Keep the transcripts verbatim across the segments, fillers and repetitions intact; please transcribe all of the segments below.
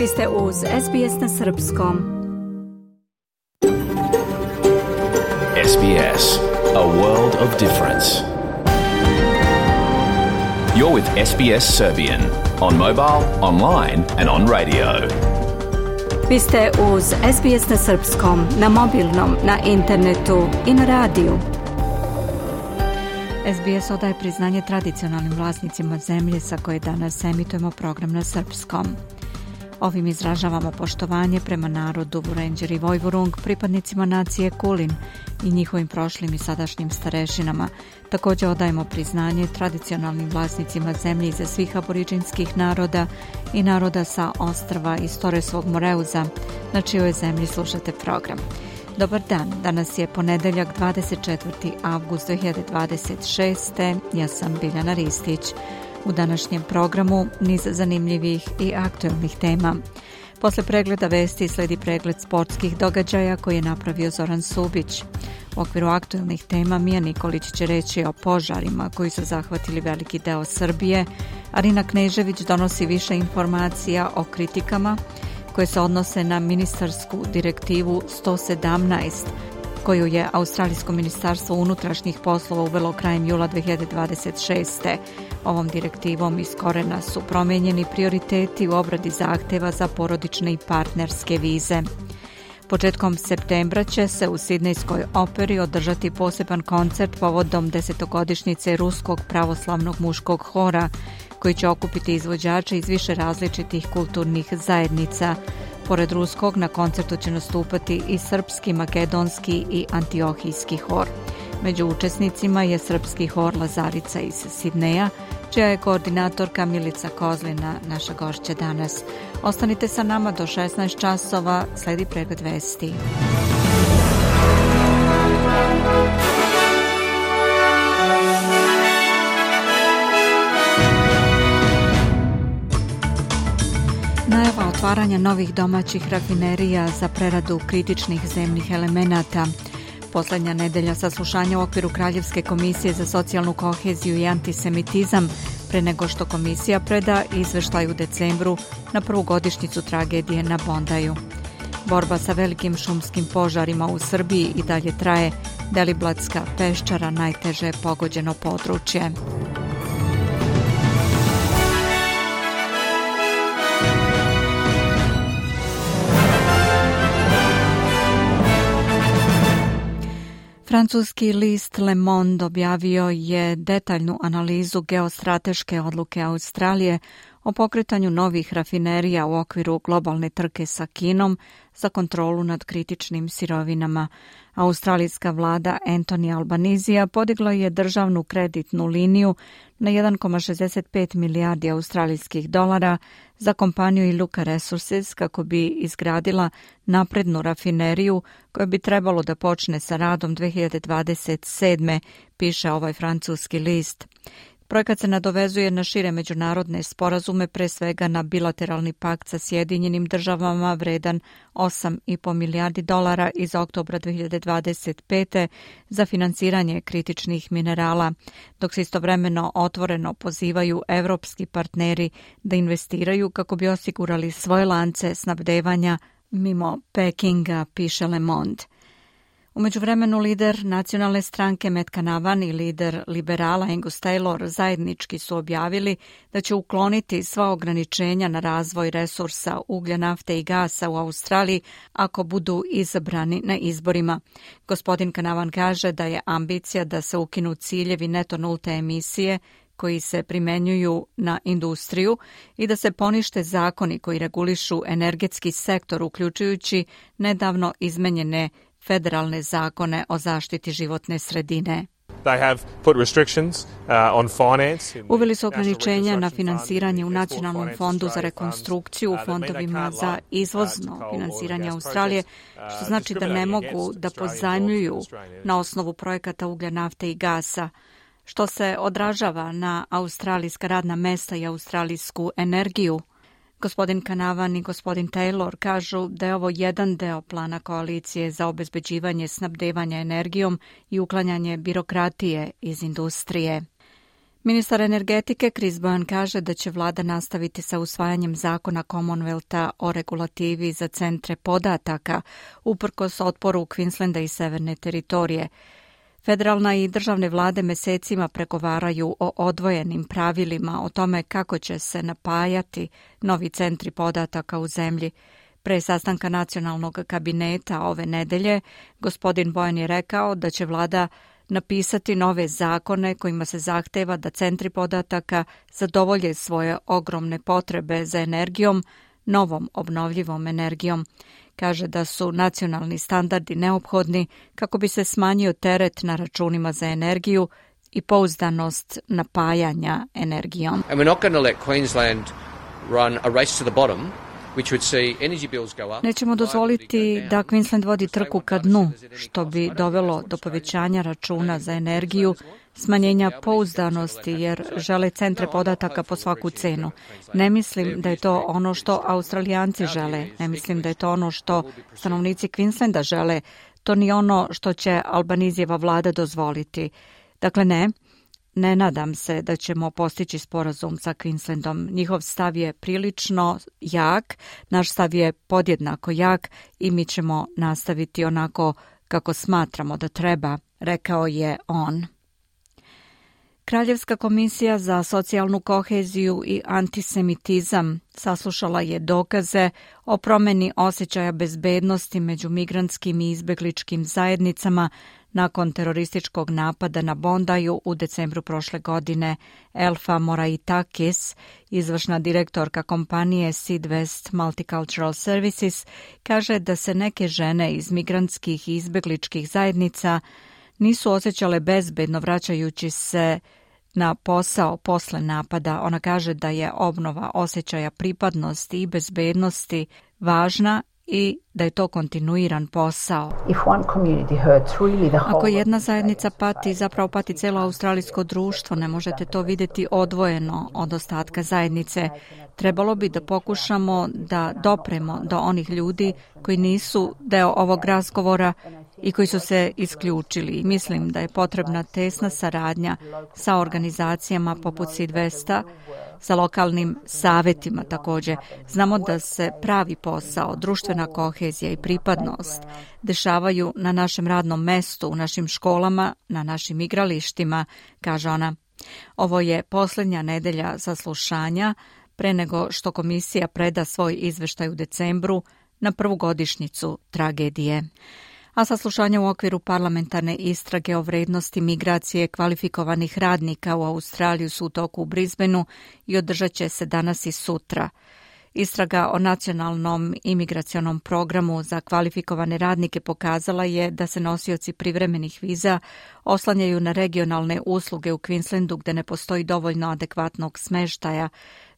Vi ste uz S B S na srpskom. S B S, a world of difference. You're with S B S Serbian on mobile, online and on radio. Vi ste uz S B S na srpskom, na mobilnom, na internetu i na radiju. S B S odaje priznanje tradicionalnim vlasnicima zemlje sa koje danas emitujemo program na srpskom. Ovim izražavamo poštovanje prema narodu Vurenđer i Vojvurung, pripadnicima nacije Kulin i njihovim prošlim i sadašnjim starešinama. Također odajemo priznanje tradicionalnim vlasnicima zemlje iza svih aboriđinskih naroda i naroda sa ostrva iz Toresovog Moreuza, na čijoj zemlji slušate program. Dobar dan, danas je ponedeljak dvadeset četvrti avgust dve hiljade dvadeset šeste. Ja sam Biljana Ristić. U današnjem programu niz zanimljivih i aktuelnih tema. Posle pregleda vesti sledi pregled sportskih događaja koji je napravio Zoran Subić. U okviru aktuelnih tema Mija Nikolić će reći o požarima koji su zahvatili veliki deo Srbije. Arina Knežević donosi više informacija o kritikama koje se odnose na ministarsku direktivu sto sedamnaest, koju je Australijsko ministarstvo unutrašnjih poslova uvelo krajem jula dve hiljade dvadeset šeste. Ovom direktivom iz korena su promijenjeni prioriteti u obradi zahtjeva za porodične i partnerske vize. Početkom septembra će se u Sidnejskoj operi održati poseban koncert povodom desetogodišnjice Ruskog pravoslavnog muškog hora, koji će okupiti izvođače iz više različitih kulturnih zajednica. Pored ruskog, na koncertu će nastupati i srpski, makedonski i antiohijski hor. Među učesnicima je srpski hor Lazarica iz Sidneja, čija je koordinatorka Milica Kozlina naša gošća danas. Ostanite sa nama do šesnaest časova, sledi pregled vesti. Najava otvaranja novih domaćih rafinerija za preradu kritičnih zemnih elemenata. Posljednja nedelja saslušanja u okviru Kraljevske komisije za socijalnu koheziju i antisemitizam, pre nego što komisija preda izveštaj u decembru na prvu godišnjicu tragedije na Bondaju. Borba sa velikim šumskim požarima u Srbiji i dalje traje. Deliblatska peščara najteže je pogođeno područje. Francuski list Le Monde objavio je detaljnu analizu geostrateške odluke Australije o pokretanju novih rafinerija u okviru globalne trke sa Kinom za kontrolu nad kritičnim sirovinama. Australijska vlada Anthony Albanizija podigla je državnu kreditnu liniju na jedan zarez šezdeset pet milijardi australijskih dolara za kompaniju Iluka Resources kako bi izgradila naprednu rafineriju koja bi trebalo da počne sa radom dve hiljade dvadeset sedme, piše ovaj francuski list. Projekat se nadovezuje na šire međunarodne sporazume, pre svega na bilateralni pakt sa Sjedinjenim državama vredan osam zarez pet milijardi dolara iz oktobra dve hiljade dvadeset pete za finansiranje kritičnih minerala, dok se istovremeno otvoreno pozivaju evropski partneri da investiraju kako bi osigurali svoje lance snabdevanja mimo Pekinga, piše Le Monde. U međuvremenu lider nacionalne stranke Matt Canavan i lider liberala Angus Taylor zajednički su objavili da će ukloniti sva ograničenja na razvoj resursa uglja, nafte i gasa u Australiji ako budu izabrani na izborima. Gospodin Canavan kaže da je ambicija da se ukinu ciljevi neto nulte emisije koji se primenjuju na industriju i da se ponište zakoni koji regulišu energetski sektor, uključujući nedavno izmenjene federalne zakone o zaštiti životne sredine. Uveli su ograničenja na finansiranje u Nacionalnom fondu za rekonstrukciju, u fondovima za izvozno finansiranje Australije, što znači da ne mogu da pozajmljuju na osnovu projekata uglja, nafte i gasa, što se odražava na australijska radna mesta i australijsku energiju. Gospodin Canavan i gospodin Taylor kažu da je ovo jedan deo plana koalicije za obezbeđivanje snabdevanja energijom i uklanjanje birokratije iz industrije. Ministar energetike Chris Bowen kaže da će vlada nastaviti sa usvajanjem zakona Commonwealtha o regulativi za centre podataka, uprkos otporu Queenslanda i Severne teritorije. Federalna i državne vlade mesecima pregovaraju o odvojenim pravilima o tome kako će se napajati novi centri podataka u zemlji. Pre sastanka nacionalnog kabineta ove nedelje, gospodin Bowen je rekao da će vlada napisati nove zakone kojima se zahteva da centri podataka zadovolje svoje ogromne potrebe za energijom, novom obnovljivom energijom. Kaže da su nacionalni standardi neophodni kako bi se smanjio teret na računima za energiju i pouzdanost napajanja energijom. And we're not going to let Queensland run a race to the bottom. Nećemo dozvoliti da Queensland vodi trku ka dnu, što bi dovelo do povećanja računa za energiju, smanjenja pouzdanosti jer žele centre podataka po svaku cenu. Ne mislim da je to ono što Australijanci žele, ne mislim da je to ono što stanovnici Queenslanda žele, to ni ono što će Albanizijeva vlada dozvoliti. Dakle ne. Ne nadam se da ćemo postići sporazum sa Queenslandom. Njihov stav je prilično jak, naš stav je podjednako jak i mi ćemo nastaviti onako kako smatramo da treba, rekao je on. Kraljevska komisija za socijalnu koheziju i antisemitizam saslušala je dokaze o promjeni osjećaja bezbednosti među migrantskim i izbegličkim zajednicama nakon terorističkog napada na Bondaju u decembru prošle godine. Elfa Moraitakis, izvršna direktorka kompanije Sid West Multicultural Services, kaže da se neke žene iz migrantskih i izbegličkih zajednica nisu osjećale bezbedno vraćajući se na posao posle napada. Ona kaže da je obnova osjećaja pripadnosti i bezbednosti važna i da je to kontinuiran posao. Ako jedna zajednica pati, zapravo pati cijelo australijsko društvo, ne možete to vidjeti odvojeno od ostatka zajednice. Trebalo bi da pokušamo da dopremo do onih ljudi koji nisu deo ovog razgovora i koji su se isključili. Mislim da je potrebna tesna saradnja sa organizacijama poput Sid Westa, sa lokalnim savjetima također. Znamo da se pravi posao, društvena kohezija i pripadnost dešavaju na našem radnom mestu, u našim školama, na našim igralištima, kaže ona. Ovo je posljednja nedelja saslušanja pre nego što komisija preda svoj izveštaj u decembru na prvu godišnjicu tragedije. A saslušanja u okviru parlamentarne istrage o vrednosti migracije kvalifikovanih radnika u Australiju su u toku u Brisbaneu i održat će se danas i sutra. Istraga o nacionalnom imigracionom programu za kvalifikovane radnike pokazala je da se nosioci privremenih viza oslanjaju na regionalne usluge u Queenslandu gde ne postoji dovoljno adekvatnog smeštaja.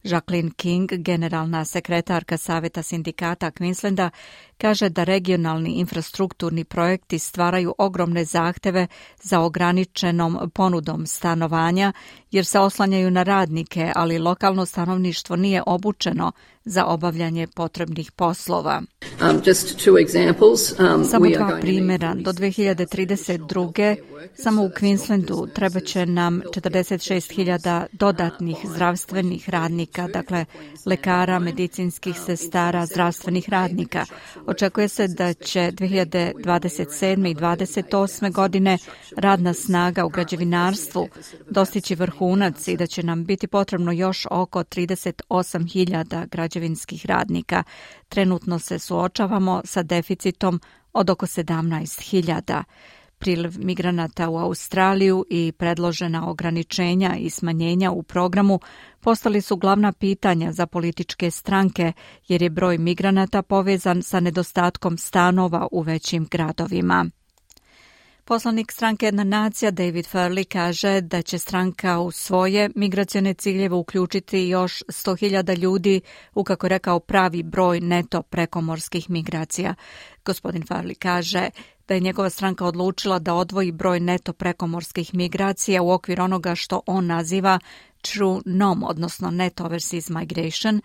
Jacqueline King, generalna sekretarka Saveta sindikata Queenslanda, kaže da regionalni infrastrukturni projekti stvaraju ogromne zahteve za ograničenom ponudom stanovanja jer se oslanjaju na radnike, ali lokalno stanovništvo nije obučeno za obavljanje potrebnih poslova. Um, just two examples. Um, Samo dva primjera. Do dve hiljade trideset druge samo u Queenslandu treba će nam četrdeset šest hiljada dodatnih zdravstvenih radnika, dakle lekara, medicinskih sestara, zdravstvenih radnika. Očekuje se da će dve hiljade dvadeset sedme i dvadeset osme godine radna snaga u građevinarstvu dostići vrhunac i da će nam biti potrebno još oko trideset osam hiljada građevinskih radnika. Trenutno se suočavamo sa deficitom od oko sedamnaest hiljada. Priliv migranata u Australiju i predložena ograničenja i smanjenja u programu postali su glavna pitanja za političke stranke jer je broj migranata povezan sa nedostatkom stanova u većim gradovima. Poslanik stranke Jedna nacija David Farley kaže da će stranka u svoje migracione ciljeve uključiti još sto hiljada ljudi u, kako je rekao, pravi broj neto prekomorskih migracija. Gospodin Farley kaže da je njegova stranka odlučila da odvoji broj neto prekomorskih migracija u okvir onoga što on naziva True N O M, odnosno Net Overseas Migration,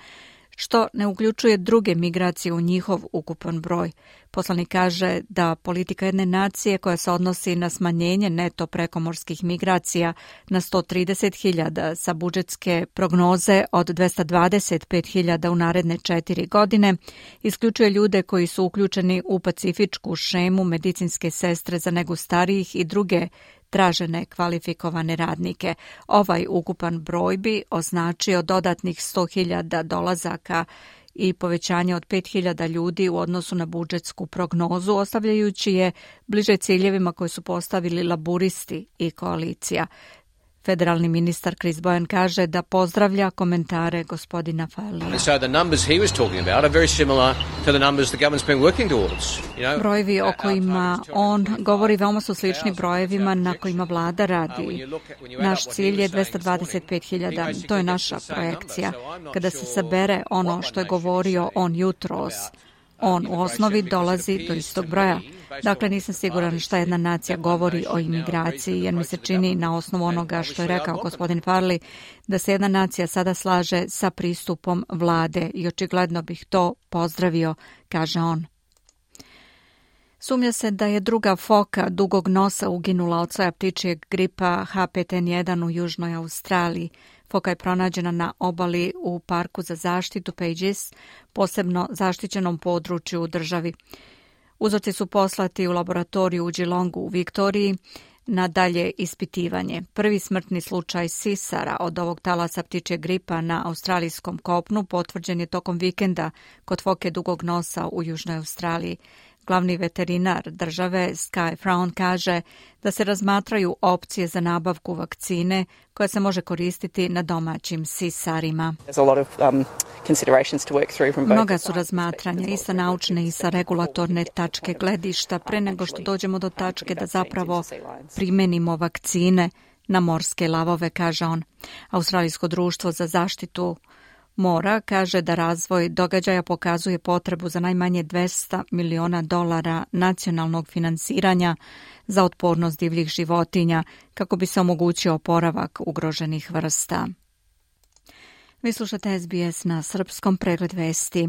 što ne uključuje druge migracije u njihov ukupan broj. Poslanik kaže da politika jedne nacije koja se odnosi na smanjenje neto prekomorskih migracija na sto trideset hiljada sa budžetske prognoze od dvesta dvadeset pet hiljada u naredne četiri godine isključuje ljude koji su uključeni u pacifičku šemu medicinske sestre za negu starijih i druge tražene kvalifikovane radnike. Ovaj ukupan broj bi označio dodatnih sto hiljada dolazaka i povećanje od pet hiljada ljudi u odnosu na budžetsku prognozu, ostavljajući je bliže ciljevima koje su postavili laburisti i koalicija. Federalni ministar Chris Bowen kaže da pozdravlja komentare gospodina Farlija. So the numbers he was talking about are very similar to the numbers the government's been working towards. You know, brojevi o kojima on govori veoma su slični brojevima na kojima vlada radi. Naš cilj je dvesta dvadeset pet hiljada, to je naša projekcija. Kada se sabere ono što je govorio on jutros, on u osnovi dolazi do istog broja. Dakle, nisam siguran šta jedna nacija govori o imigraciji, jer mi se čini na osnovu onoga što je rekao gospodin Farley, da se jedna nacija sada slaže sa pristupom vlade i očigledno bih to pozdravio, kaže on. Sumnja se da je druga foka dugog nosa uginula od soja ptičijeg gripa H pet N jedan u južnoj Australiji. Foka je pronađena na obali u parku za zaštitu Pages, posebno zaštićenom području u državi. Uzorci su poslati u laboratoriju u Geelongu u Viktoriji na dalje ispitivanje. Prvi smrtni slučaj sisara od ovog talasa ptičjeg gripa na australijskom kopnu potvrđen je tokom vikenda kod foke dugog nosa u južnoj Australiji. Glavni veterinar države Sky Frown kaže da se razmatraju opcije za nabavku vakcine koja se može koristiti na domaćim sisarima. Mnoga su razmatranja i sa naučne i sa regulatorne tačke gledišta pre nego što dođemo do tačke da zapravo primenimo vakcine na morske lavove, kaže on. Australijsko društvo za zaštitu mora kaže da razvoj događaja pokazuje potrebu za najmanje dvesta miliona dolara nacionalnog finansiranja za otpornost divljih životinja kako bi se omogućio oporavak ugroženih vrsta. Vi slušate S B S na srpskom, pregled vesti.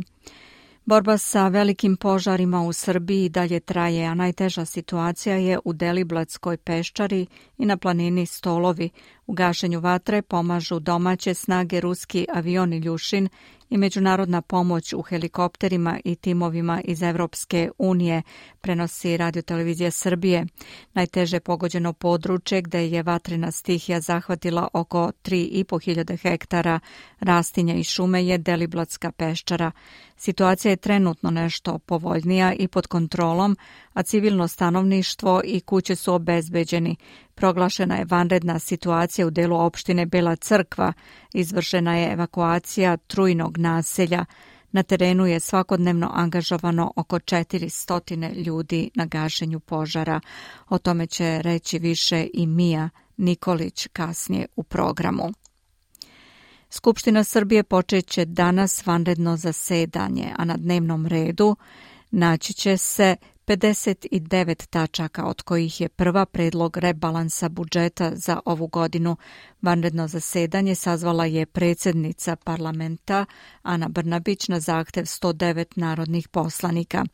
Borba sa velikim požarima u Srbiji dalje traje, a najteža situacija je u Deliblatskoj peščari i na planini Stolovi. U gašenju vatre pomažu domaće snage, ruski avion Iljušin i međunarodna pomoć u helikopterima i timovima iz Evropske unije, prenosi Radio-televizija Srbije. Najteže pogođeno područje gde je vatrena stihija zahvatila oko tri i po hiljade hektara rastinja i šume je Deliblatska peščara. Situacija je trenutno nešto povoljnija i pod kontrolom, a civilno stanovništvo i kuće su obezbeđeni. Proglašena je vanredna situacija u delu opštine Bela Crkva, izvršena je evakuacija Trujnog naselja. Na terenu je svakodnevno angažovano oko četiristo ljudi na gašenju požara. O tome će reći više i Mija Nikolić kasnije u programu. Skupština Srbije počeće danas vanredno zasedanje, a na dnevnom redu naći će se pedeset devet tačaka, od kojih je prva predlog rebalansa budžeta za ovu godinu. Vanredno zasedanje sazvala je predsjednica parlamenta Ana Brnabić na zahtev sto devet narodnih poslanika.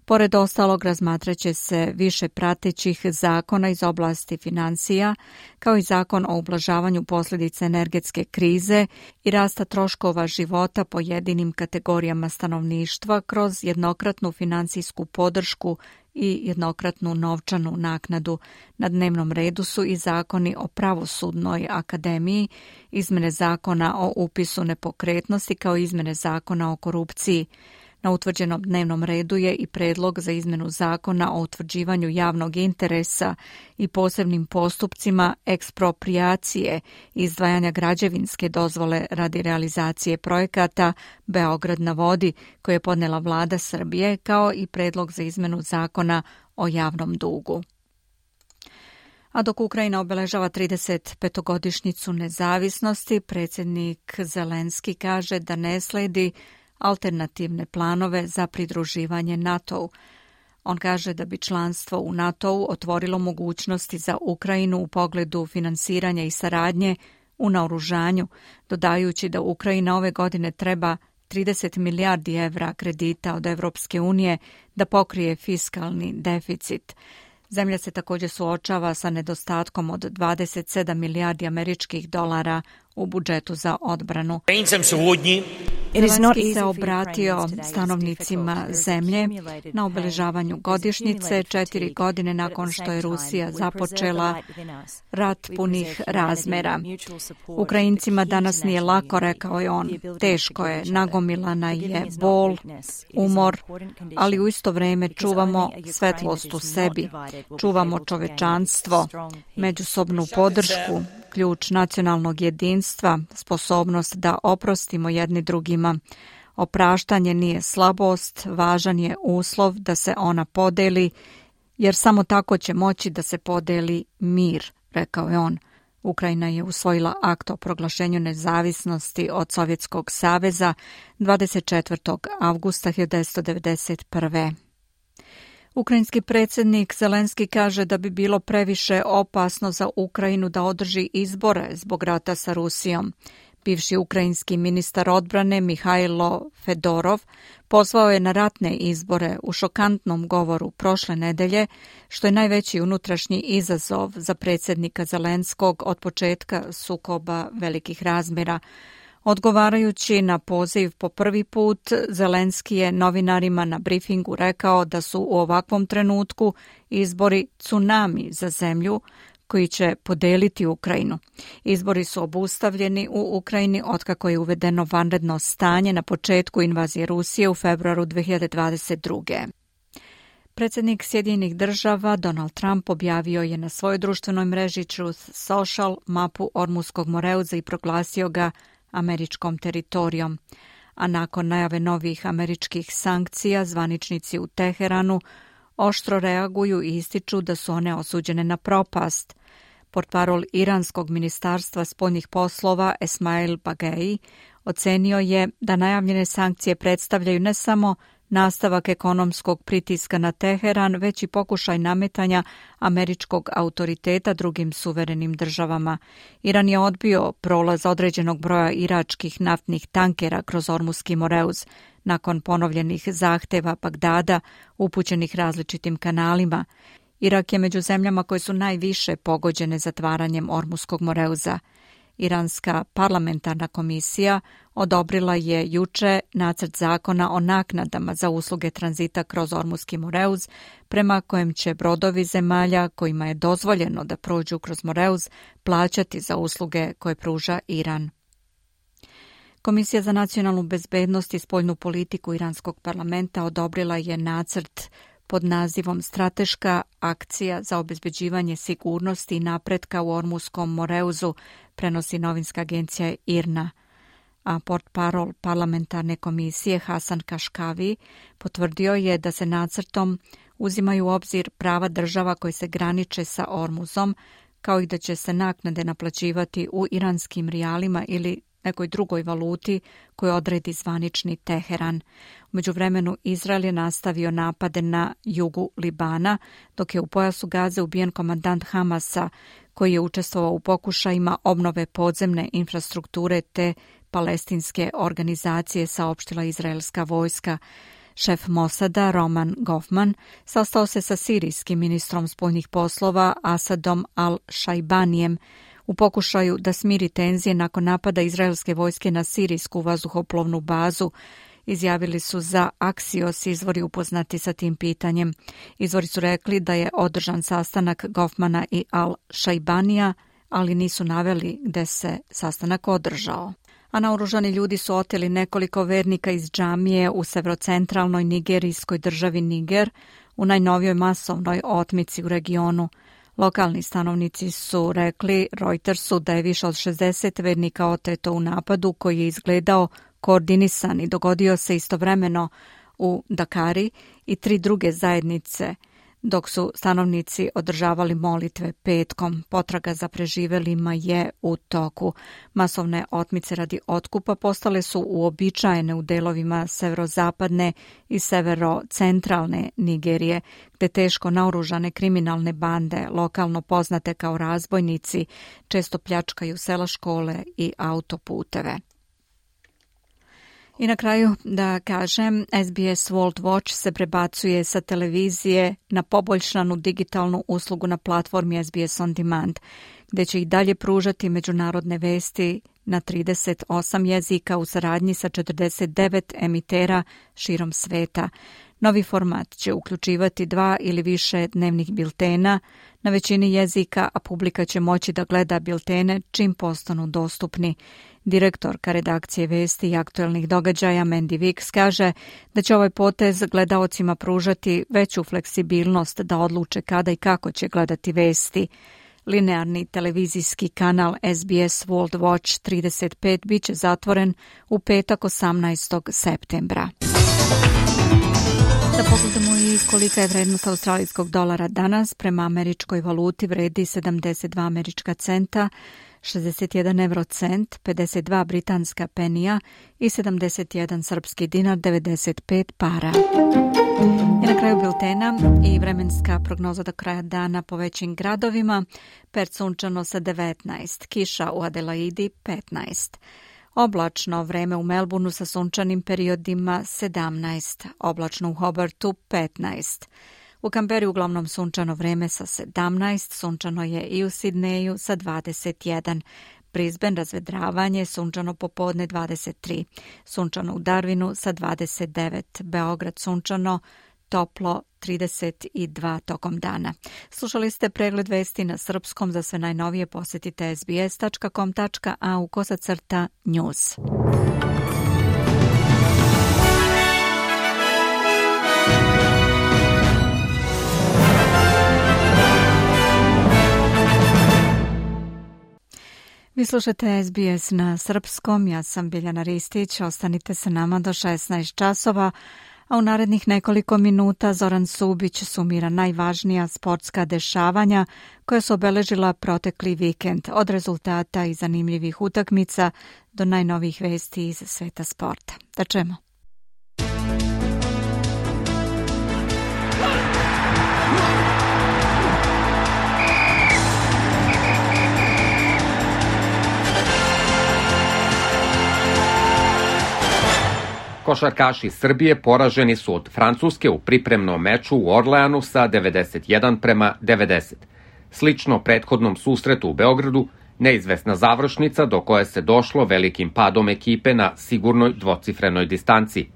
Pored ostalog, razmatraće se više pratećih zakona iz oblasti financija, kao i zakon o ublažavanju posljedica energetske krize i rasta troškova života pojedinim kategorijama stanovništva kroz jednokratnu finansijsku podršku i jednokratnu novčanu naknadu. Na dnevnom redu su i zakoni o pravosudnoj akademiji, izmene zakona o upisu nepokretnosti kao izmene zakona o korupciji. Na utvrđenom dnevnom redu je i predlog za izmenu zakona o utvrđivanju javnog interesa i posebnim postupcima eksproprijacije i izdvajanja građevinske dozvole radi realizacije projekata Beograd na vodi, koje je podnela vlada Srbije, kao i predlog za izmenu zakona o javnom dugu. A dok Ukrajina obeležava trideset petogodišnjicu nezavisnosti, predsjednik Zelenski kaže da ne sledi alternativne planove za pridruživanje NATO-u. On kaže da bi članstvo u NATO-u otvorilo mogućnosti za Ukrajinu u pogledu finansiranja i saradnje u naoružanju, dodajući da Ukrajina ove godine treba trideset milijardi evra kredita od Evropske unije da pokrije fiskalni deficit. Zemlja se također suočava sa nedostatkom od dvadeset sedam milijardi američkih dolara u budžetu za odbranu. Zelenski se obratio stanovnicima zemlje na obeležavanju godišnjice četiri godine nakon što je Rusija započela rat punih razmera. Ukrajincima danas nije lako, rekao je on. Teško je, nagomilana je bol, umor, ali u isto vrijeme čuvamo svetlost u sebi, čuvamo čovečanstvo, međusobnu podršku, ključ nacionalnog jedinstva, sposobnost da oprostimo jedni drugima. Opraštanje nije slabost, važan je uslov da se ona podeli, jer samo tako će moći da se podeli mir, rekao je on. Ukrajina je usvojila akt o proglašenju nezavisnosti od Sovjetskog saveza dvadeset četvrtog avgusta hiljadu devetsto devedeset prve. Ukrajinski predsjednik Zelenski kaže da bi bilo previše opasno za Ukrajinu da održi izbore zbog rata sa Rusijom. Bivši ukrajinski ministar odbrane Mihajlo Fedorov pozvao je na ratne izbore u šokantnom govoru prošle nedelje, što je najveći unutrašnji izazov za predsjednika Zelenskog od početka sukoba velikih razmjera. Odgovarajući na poziv po prvi put, Zelenski je novinarima na brifingu rekao da su u ovakvom trenutku izbori tsunami za zemlju koji će podeliti Ukrajinu. Izbori su obustavljeni u Ukrajini otkako je uvedeno vanredno stanje na početku invazije Rusije u februaru dve hiljade dvadeset druge. Predsjednik Sjedinjenih država Donald Trump objavio je na svojoj društvenoj mreži Truth Social mapu Ormuskog moreuza i proglasio ga američkom teritorijom. A nakon najave novih američkih sankcija, zvaničnici u Teheranu oštro reaguju i ističu da su one osuđene na propast. Portparol Iranskog ministarstva spoljnih poslova Esmail Bagei ocenio je da najavljene sankcije predstavljaju ne samo nastavak ekonomskog pritiska na Teheran, već i pokušaj nametanja američkog autoriteta drugim suverenim državama. Iran je odbio prolaz određenog broja iračkih naftnih tankera kroz Ormuski moreuz nakon ponovljenih zahteva Bagdada upućenih različitim kanalima. Irak je među zemljama koje su najviše pogođene zatvaranjem Ormuskog moreuza. Iranska parlamentarna komisija odobrila je juče nacrt zakona o naknadama za usluge tranzita kroz Ormuski moreuz, prema kojem će brodovi zemalja kojima je dozvoljeno da prođu kroz moreuz plaćati za usluge koje pruža Iran. Komisija za nacionalnu bezbednost i spoljnu politiku Iranskog parlamenta odobrila je nacrt pod nazivom Strateška akcija za obezbeđivanje sigurnosti i napretka u Ormuskom moreuzu, prenosi novinska agencija I R N A. A portparol parlamentarne komisije Hasan Kaškavi potvrdio je da se nacrtom uzimaju u obzir prava država koje se graniče sa Ormuzom, kao i da će se naknade naplaćivati u iranskim rijalima ili nekoj drugoj valuti koju odredi zvanični Teheran. U međuvremenu Izrael je nastavio napade na jugu Libana, dok je u pojasu Gaze ubijen komandant Hamasa, koji je učestvovao u pokušajima obnove podzemne infrastrukture te palestinske organizacije, saopštila izraelska vojska. Šef Mosada Roman Goffman sastao se sa sirijskim ministrom spoljnih poslova Asadom al-Šajbanijem u pokušaju da smiri tenzije nakon napada izraelske vojske na sirijsku vazduhoplovnu bazu. Izjavili su za Axios izvori upoznati sa tim pitanjem. Izvori su rekli da je održan sastanak Goffmana i al-Šajbanija, ali nisu naveli gde se sastanak održao. A naoružani ljudi su oteli nekoliko vernika iz džamije u severocentralnoj nigerijskoj državi Niger u najnovijoj masovnoj otmici u regionu. Lokalni stanovnici su rekli Reutersu da je više od šezdeset vernika oteto u napadu koji je izgledao koordinisan i dogodio se istovremeno u Dakari i tri druge zajednice, dok su stanovnici održavali molitve petkom. Potraga za preživelima je u toku. Masovne otmice radi otkupa postale su uobičajene u delovima severozapadne i severocentralne Nigerije, gde teško naoružane kriminalne bande, lokalno poznate kao razbojnici, često pljačkaju sela, škole i autoputeve. I na kraju da kažem, S B S World Watch se prebacuje sa televizije na poboljšanu digitalnu uslugu na platformi S B S On Demand, gde će i dalje pružati međunarodne vesti na trideset osam jezika u saradnji sa četrdeset devet emitera širom sveta. Novi format će uključivati dva ili više dnevnih biltena na većini jezika, a publika će moći da gleda biltene čim postanu dostupni. Direktorka redakcije vesti i aktuelnih događaja Mandy Wicks kaže da će ovaj potez gledaocima pružati veću fleksibilnost da odluče kada i kako će gledati vesti. Linearni televizijski kanal S B S World Watch trideset pet biće zatvoren u petak osamnaestog septembra. Da pogledamo i kolika je vrednost australijskog dolara danas. Prema američkoj valuti vredi sedamdeset dva američka centa, šezdeset jedan eurocent, pedeset dva britanska penija i sedamdeset jedan srpski dinar, devedeset pet para. I na kraju biltena i vremenska prognoza do kraja dana po većim gradovima. Perth sunčano sa devetnaest, kiša u Adelaidi petnaest. Oblačno vreme u Melbourneu sa sunčanim periodima sedamnaest, oblačno u Hobartu petnaest. U Kamberi uglavnom sunčano vreme sa sedamnaest, sunčano je i u Sidneju sa dvadeset jedan. Brisbane razvedravanje, sunčano popodne dvadeset tri, sunčano u Darwinu sa dvadeset devet, Beograd sunčano, toplo trideset dva tokom dana. Slušali ste pregled vesti na srpskom. Za sve najnovije posjetite s b s tačka com tačka a u kosacrta news. Vi slušate S B S na srpskom, ja sam Biljana Ristić, ostanite sa nama do šesnaest časova, a u narednih nekoliko minuta Zoran Subić sumira najvažnija sportska dešavanja koja su obeležila protekli vikend, od rezultata i zanimljivih utakmica do najnovijih vesti iz sveta sporta. Da čujemo. Košarkaši Srbije poraženi su od Francuske u pripremnom meču u Orleanu sa devedeset jedan prema devedeset. Slično prethodnom susretu u Beogradu, neizvesna završnica do koje se došlo velikim padom ekipe na sigurnoj dvocifrenoj distanci.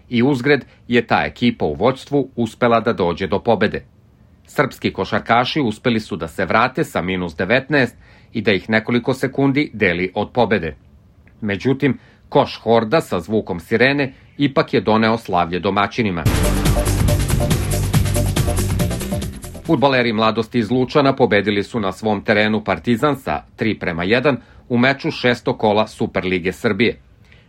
I uzgred je ta ekipa u vođstvu uspela da dođe do pobede. Srpski košarkaši uspeli su da se vrate sa minus devetnaest i da ih nekoliko sekundi deli od pobede. Međutim, koš Horda sa zvukom sirene ipak je doneo slavlje domaćinima. Fudbaleri Mladosti iz Lučana pobedili su na svom terenu Partizan sa tri prema jedan u meču šestog kola Superlige Srbije.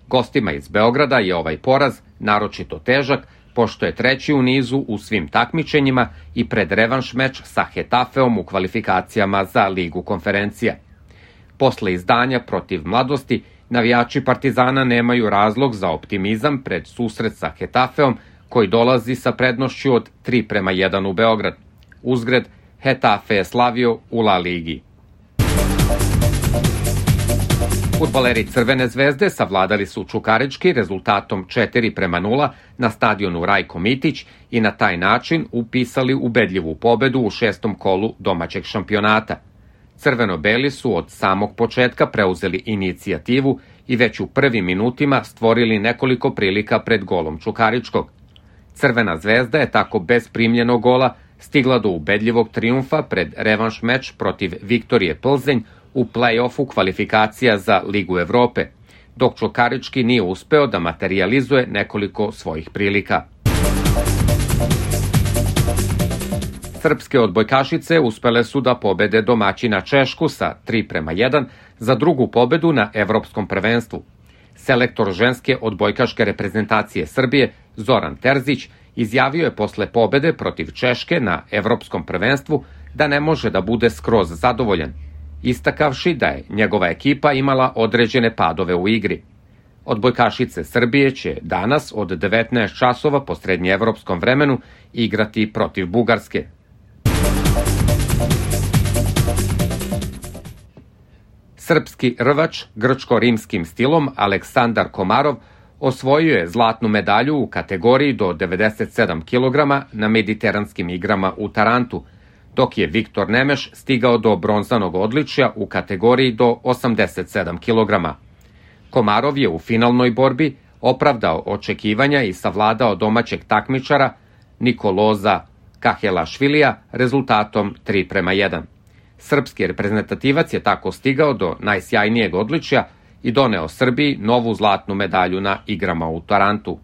Gostima iz Beograda je ovaj poraz naročito težak, pošto je treći u nizu u svim takmičenjima i pred revanš meč sa Hetafeom u kvalifikacijama za Ligu konferencija. Posle izdanja protiv Mladosti, navijači Partizana nemaju razlog za optimizam pred susret sa Hetafeom, koji dolazi sa prednošću od tri prema jedan u Beograd. Uzgred, Hetafe je slavio u La Ligi. Fudbaleri Crvene zvezde savladali su Čukarički rezultatom četiri prema nula na stadionu Rajko Mitić i na taj način upisali ubedljivu pobedu u šestom kolu domaćeg šampionata. Crveno-beli su od samog početka preuzeli inicijativu i već u prvim minutima stvorili nekoliko prilika pred golom Čukaričkog. Crvena zvezda je tako bez primljenog gola stigla do ubedljivog trijumfa pred revanš meč protiv Viktorije Plzenj u play-offu kvalifikacija za Ligu Evrope, dok Čukarički nije uspeo da materijalizuje nekoliko svojih prilika. Srpske odbojkašice uspele su da pobede domaćina Češku sa tri prema jedan za drugu pobedu na Evropskom prvenstvu. Selektor ženske odbojkaške reprezentacije Srbije Zoran Terzić izjavio je posle pobede protiv Češke na Evropskom prvenstvu da ne može da bude skroz zadovoljan, istakavši da je njegova ekipa imala određene padove u igri. Odbojkašice Srbije će danas od devetnaest časova po srednjeevropskom vremenu igrati protiv Bugarske. Srpski rvač grčko-rimskim stilom Aleksandar Komarov osvojio je zlatnu medalju u kategoriji do devedeset sedam kilograma na mediteranskim igrama u Tarantu, dok je Viktor Nemeš stigao do bronzanog odličja u kategoriji do osamdeset sedam kilograma. Komarov je u finalnoj borbi opravdao očekivanja i savladao domaćeg takmičara Nikoloza Kahelašvilija rezultatom tri prema jedan. Srpski reprezentativac je tako stigao do najsjajnijeg odličja i doneo Srbiji novu zlatnu medalju na igrama u Tarantu.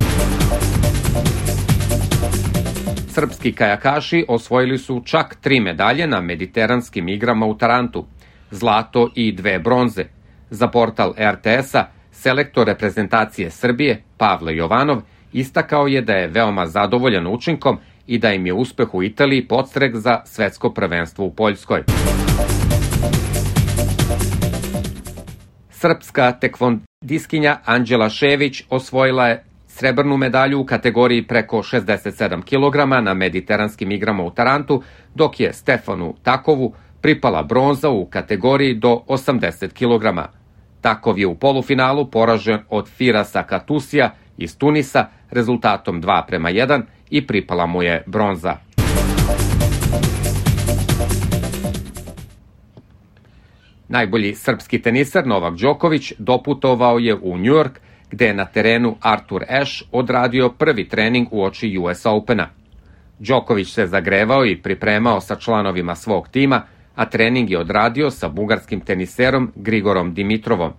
Srpski kajakaši osvojili su čak tri medalje na mediteranskim igrama u Tarantu, zlato i dve bronze. Za portal er te es-a selektor reprezentacije Srbije Pavle Jovanov istakao je da je veoma zadovoljan učinkom i da im je uspeh u Italiji podstrek za svetsko prvenstvo u Poljskoj. Srpska tekvondiskinja Anđela Šević osvojila je srebrnu medalju u kategoriji preko šezdeset sedam kilograma na mediteranskim igrama u Tarantu, dok je Stefanu Takovu pripala bronza u kategoriji do osamdeset kilograma. Takov je u polufinalu poražen od Firasa Katusija iz Tunisa rezultatom dva prema jedan i pripala mu je bronza. Najbolji srpski teniser Novak Đoković doputovao je u Njujork, gde je na terenu Artur Ashe odradio prvi trening uoči U S Opena. Đoković se zagrevao i pripremao sa članovima svog tima, a trening je odradio sa bugarskim teniserom Grigorom Dimitrovom.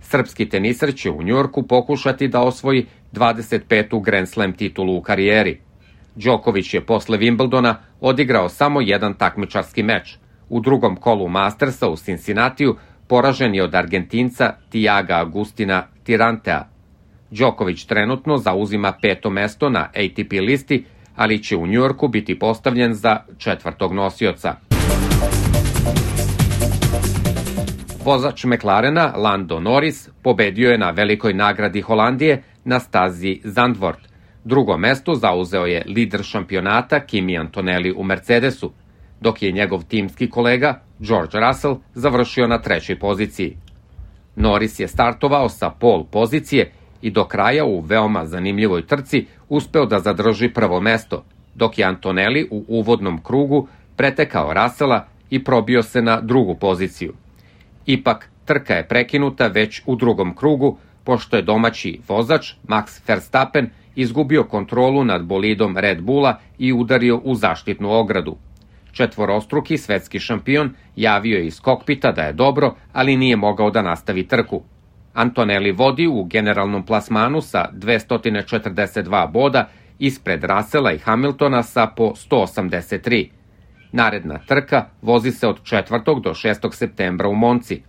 Srpski teniser će u Njujorku pokušati da osvoji dvadeset petu Grand Slam titulu u karijeri. Đoković je posle Wimbledona odigrao samo jedan takmičarski meč. U drugom kolu Mastersa u Cincinnatiju poražen je od Argentinca Tiaga Agustina Tirantea. Đoković trenutno zauzima peto mesto na A T P listi, ali će u Njujorku biti postavljen za četvrtog nosioca. Vozač McLarena Lando Norris pobedio je na velikoj nagradi Holandije na stazi Zandvoort. Drugo mesto zauzeo je lider šampionata Kimi Antonelli u Mercedesu, dok je njegov timski kolega George Russell završio na trećoj poziciji. Norris je startovao sa pol pozicije i do kraja u veoma zanimljivoj trci uspeo da zadrži prvo mesto, dok je Antonelli u uvodnom krugu pretekao Russella i probio se na drugu poziciju. Ipak, trka je prekinuta već u drugom krugu, pošto je domaći vozač Max Verstappen izgubio kontrolu nad bolidom Red Bulla i udario u zaštitnu ogradu. Četvorostruki svetski šampion javio je iz kokpita da je dobro, ali nije mogao da nastavi trku. Antonelli vodi u generalnom plasmanu sa dvesta četrdeset dva boda ispred Russella i Hamiltona sa po sto osamdeset tri. Naredna trka vozi se od četvrtog do šestog septembra u Monci.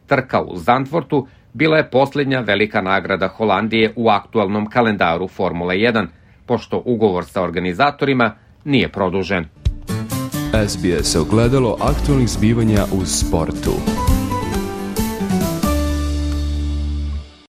Trka u Zandvoortu bila je posljednja velika nagrada Holandije u aktualnom kalendaru Formule jedan, pošto ugovor sa organizatorima nije produžen. S B S ogledalo aktualnih zbivanja u sportu.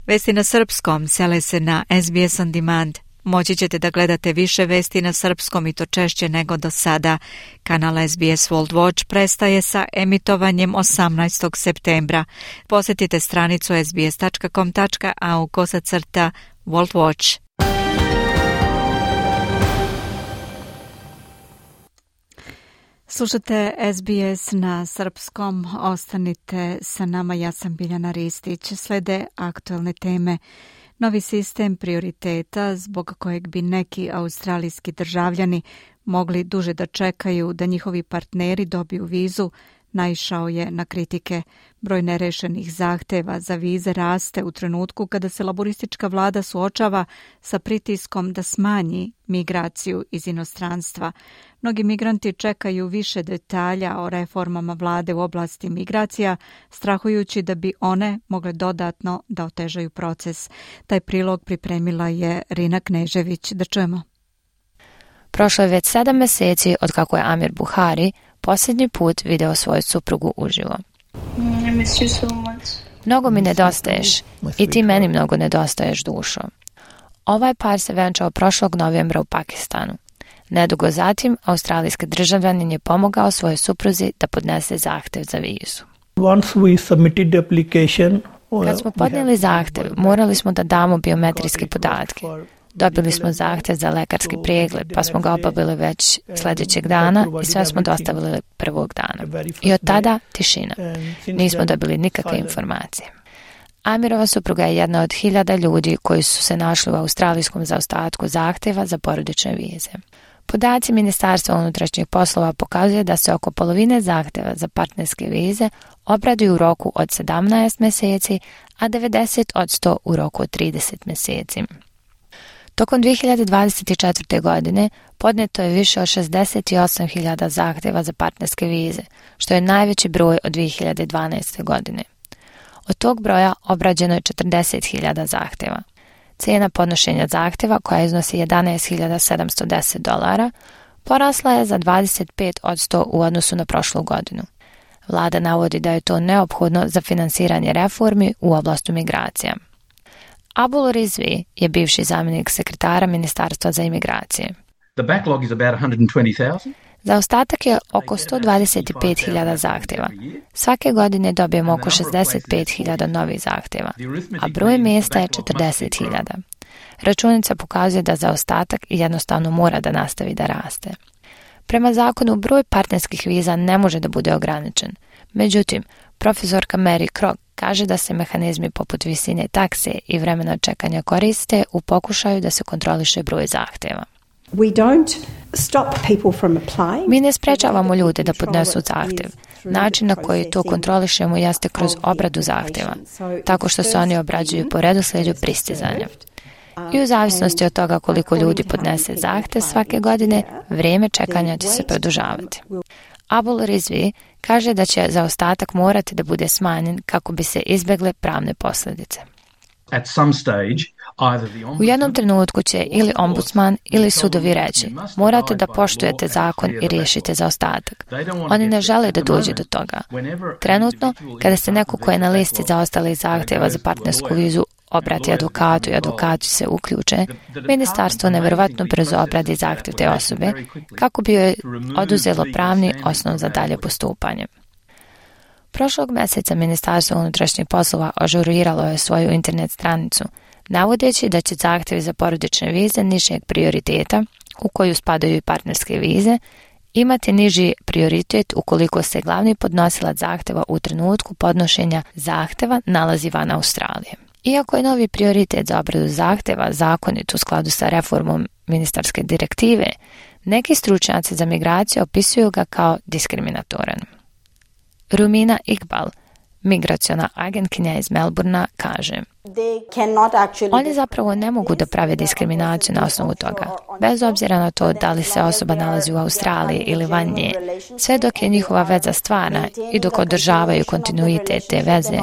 Vesti na srpskom sele se na S B S On Demand. Moći ćete da gledate više vesti na srpskom i to češće nego do sada. Kanal S B S World Watch prestaje sa emitovanjem osamnaestog septembra. Posjetite stranicu s b s tačka com tačka a u kosacrta World Watch. Slušate S B S na srpskom, ostanite sa nama, ja sam Biljana Ristić. Slede aktualne teme. Novi sistem prioriteta zbog kojeg bi neki australijski državljani mogli duže da čekaju da njihovi partneri dobiju vizu, naišao je na kritike. Broj nerešenih zahteva za vize raste u trenutku kada se laboristička vlada suočava sa pritiskom da smanji migraciju iz inostranstva. Mnogi migranti čekaju više detalja o reformama vlade u oblasti migracija, strahujući da bi one mogle dodatno da otežaju proces. Taj prilog pripremila je Rina Knežević. Da čujemo. Prošlo je već sedam meseci od kako je Amir Buhari posljednji put video svoju suprugu uživo. Mnogo mi nedostaješ i ti meni mnogo nedostaješ, dušo. Ovaj par se venčao prošlog novembra u Pakistanu. Nedugo zatim, australijski državljanin je pomogao svojoj supruzi da podnese zahtev za vizu. Once we submitted the application, Kad smo podnijeli zahtev, morali smo da damo biometrijske podatke. Dobili smo zahtev za lekarski pregled, pa smo ga obavili već sljedećeg dana i sve smo dostavili prvog dana. I od tada tišina. Nismo dobili nikakve informacije. Amirova supruga je jedna od hiljada ljudi koji su se našli u australijskom zaostatku zahtjeva za porodične vize. Podaci Ministarstva unutrašnjih poslova pokazuje da se oko polovine zahtjeva za partnerske vize obraduju u roku od sedamnaest mjeseci, a devedeset posto u roku od trideset mjeseci. Tokom dvije hiljade dvadeset četvrte. godine podneto je više od šezdeset osam hiljada zahtjeva za partnerske vize, što je najveći broj od dvije hiljade dvanaeste. godine. Od tog broja obrađeno je četrdeset hiljada zahtjeva. Cijena podnošenja zahtjeva, koja iznosi jedanaest hiljada sedamsto deset dolara, porasla je za dvadeset pet posto u odnosu na prošlu godinu. Vlada navodi da je to neophodno za finansiranje reformi u oblasti migracija. Abul Rizvi je bivši zamjenik sekretara Ministarstva za imigracije. The backlog is about one hundred twenty thousand. Zaostatak je oko sto dvadeset pet hiljada zahtjeva. Svake godine dobijemo oko šezdeset pet hiljada novih zahtjeva, a broj mjesta je četrdeset hiljada. Računica pokazuje da zaostatak jednostavno mora da nastavi da raste. Prema zakonu, broj partnerskih viza ne može da bude ograničen. Međutim, profesorka Mary Krog kaže da se mehanizmi poput visine takse i vremena čekanja koriste u pokušaju da se kontroliše broj zahtjeva. We don't stop people from applying. Mi ne sprečavamo ljude da podnesu zahtjev. Način na koji to kontrolišemo jeste kroz obradu zahtjeva, tako što se oni obrađuju po redoslijedu pristizanja. I u zavisnosti od toga koliko ljudi podnese zahtjev svake godine, vrijeme čekanja će se produžavati. Abul Rizvi kaže da će zaostatak morati da bude smanjen kako bi se izbjegle pravne posljedice. At some stage, U jednom trenutku će ili ombudsman ili sudovi reći: morate da poštujete zakon i riješite zaostatak. Oni ne žele da dođe do toga. Trenutno, kada se neko ko je na listi zaostalih zahtjeva za partnersku vizu obrati advokatu i advokati se uključe, ministarstvo nevjerovatno brzo obradi zahtjev te osobe kako bi joj oduzelo pravni osnov za dalje postupanje. Prošlog mjeseca Ministarstvo unutrašnjih poslova ažuriralo je svoju internet stranicu, navodeći da će zahtjevi za porodične vize nižeg prioriteta, u koju spadaju i partnerske vize, imati niži prioritet ukoliko se glavni podnosilac zahtjeva u trenutku podnošenja zahtjeva nalazi van Australije. Iako je novi prioritet za obradu zahtjeva zakonit u skladu sa reformom ministarske direktive, neki stručnjaci za migraciju opisuju ga kao diskriminatoran. Rumina Iqbal, migraciona agentkinja iz Melburna, kaže: oni zapravo ne mogu da prave diskriminaciju na osnovu toga, bez obzira na to da li se osoba nalazi u Australiji ili van nje, sve dok je njihova veza stvarna i dok održavaju kontinuitet te veze,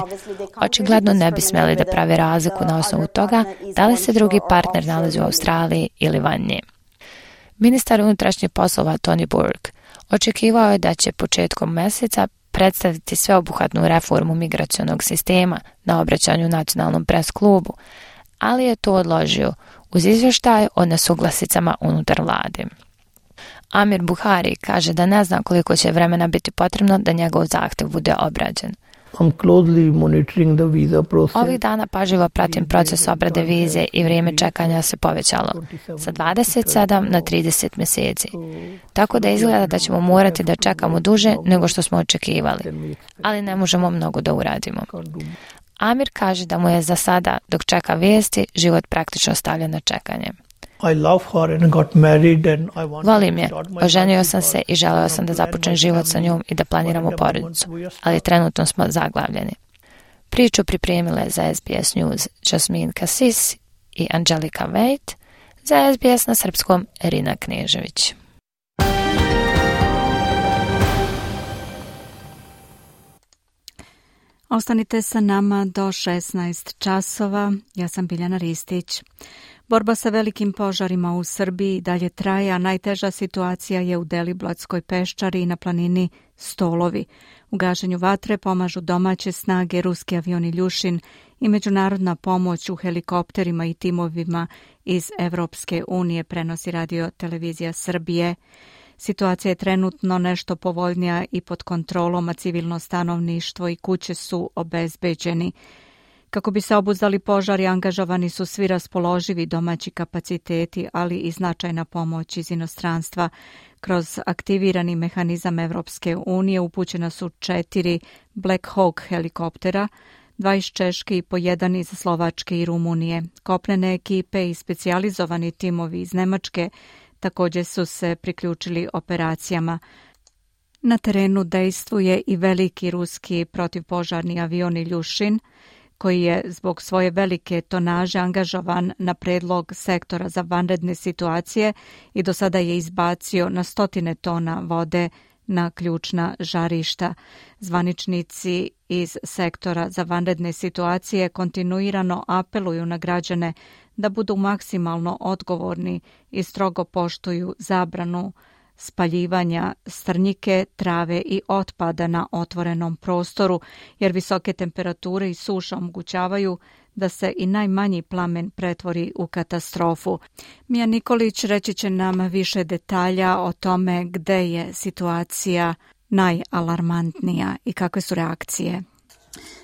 očigledno ne bi smjeli da prave razliku na osnovu toga da li se drugi partner nalazi u Australiji ili van nje. Ministar unutrašnjih poslova Tony Burke očekivao je da će početkom mjeseca predstaviti sveobuhvatnu reformu migracionog sistema na obraćanju nacionalnom pres klubu, ali je to odložio uz izvještaj o nesuglasicama unutar vlade. Amir Buhari kaže da ne zna koliko će vremena biti potrebno da njegov zahtjev bude obrađen. Ovih dana pažljivo pratim proces obrade vize i vrijeme čekanja se povećalo sa dvadeset sedam na trideset mjeseci. Tako da izgleda da ćemo morati da čekamo duže nego što smo očekivali, ali ne možemo mnogo da uradimo. Amir kaže da mu je za sada, dok čeka vijesti, život praktično stavljen na čekanje. Volim je, oženio sam se i želeo sam da započnem život sa njom i da planiramo porodicu, ali trenutno smo zaglavljeni. Priču pripremile za S B S News Jasmine Kasis i Angelika Vejt, za S B S na srpskom Irina Knežević. Ostanite sa nama do šesnaest časova. Ja sam Biljana Ristić. Borba sa velikim požarima u Srbiji dalje traje, a najteža situacija je u Deliblatskoj peščari i na planini Stolovi. U gašenju vatre pomažu domaće snage, ruski avion Iljušin i međunarodna pomoć u helikopterima i timovima iz Evropske unije, prenosi Radio Televizija Srbije. Situacija je trenutno nešto povoljnija i pod kontrolom, a civilno stanovništvo i kuće su obezbeđeni. Kako bi se obuzdali požari, angažovani su svi raspoloživi domaći kapaciteti, ali i značajna pomoć iz inostranstva. Kroz aktivirani mehanizam Evropske unije upućena su četiri Black Hawk helikoptera, dva iz Češke i po jedan iz Slovačke i Rumunije. Kopnene ekipe i specijalizovani timovi iz Nemačke također su se priključili operacijama. Na terenu dejstvuje i veliki ruski protivpožarni avion Iljušin, koji je zbog svoje velike tonaže angažovan na predlog sektora za vanredne situacije i do sada je izbacio na stotine tona vode na ključna žarišta. Zvaničnici iz sektora za vanredne situacije kontinuirano apeluju na građane da budu maksimalno odgovorni i strogo poštuju zabranu spaljivanja strnjike, trave i otpada na otvorenom prostoru, jer visoke temperature i suša omogućavaju da se i najmanji plamen pretvori u katastrofu. Mija Nikolić reći će nam više detalja o tome gde je situacija najalarmantnija i kakve su reakcije.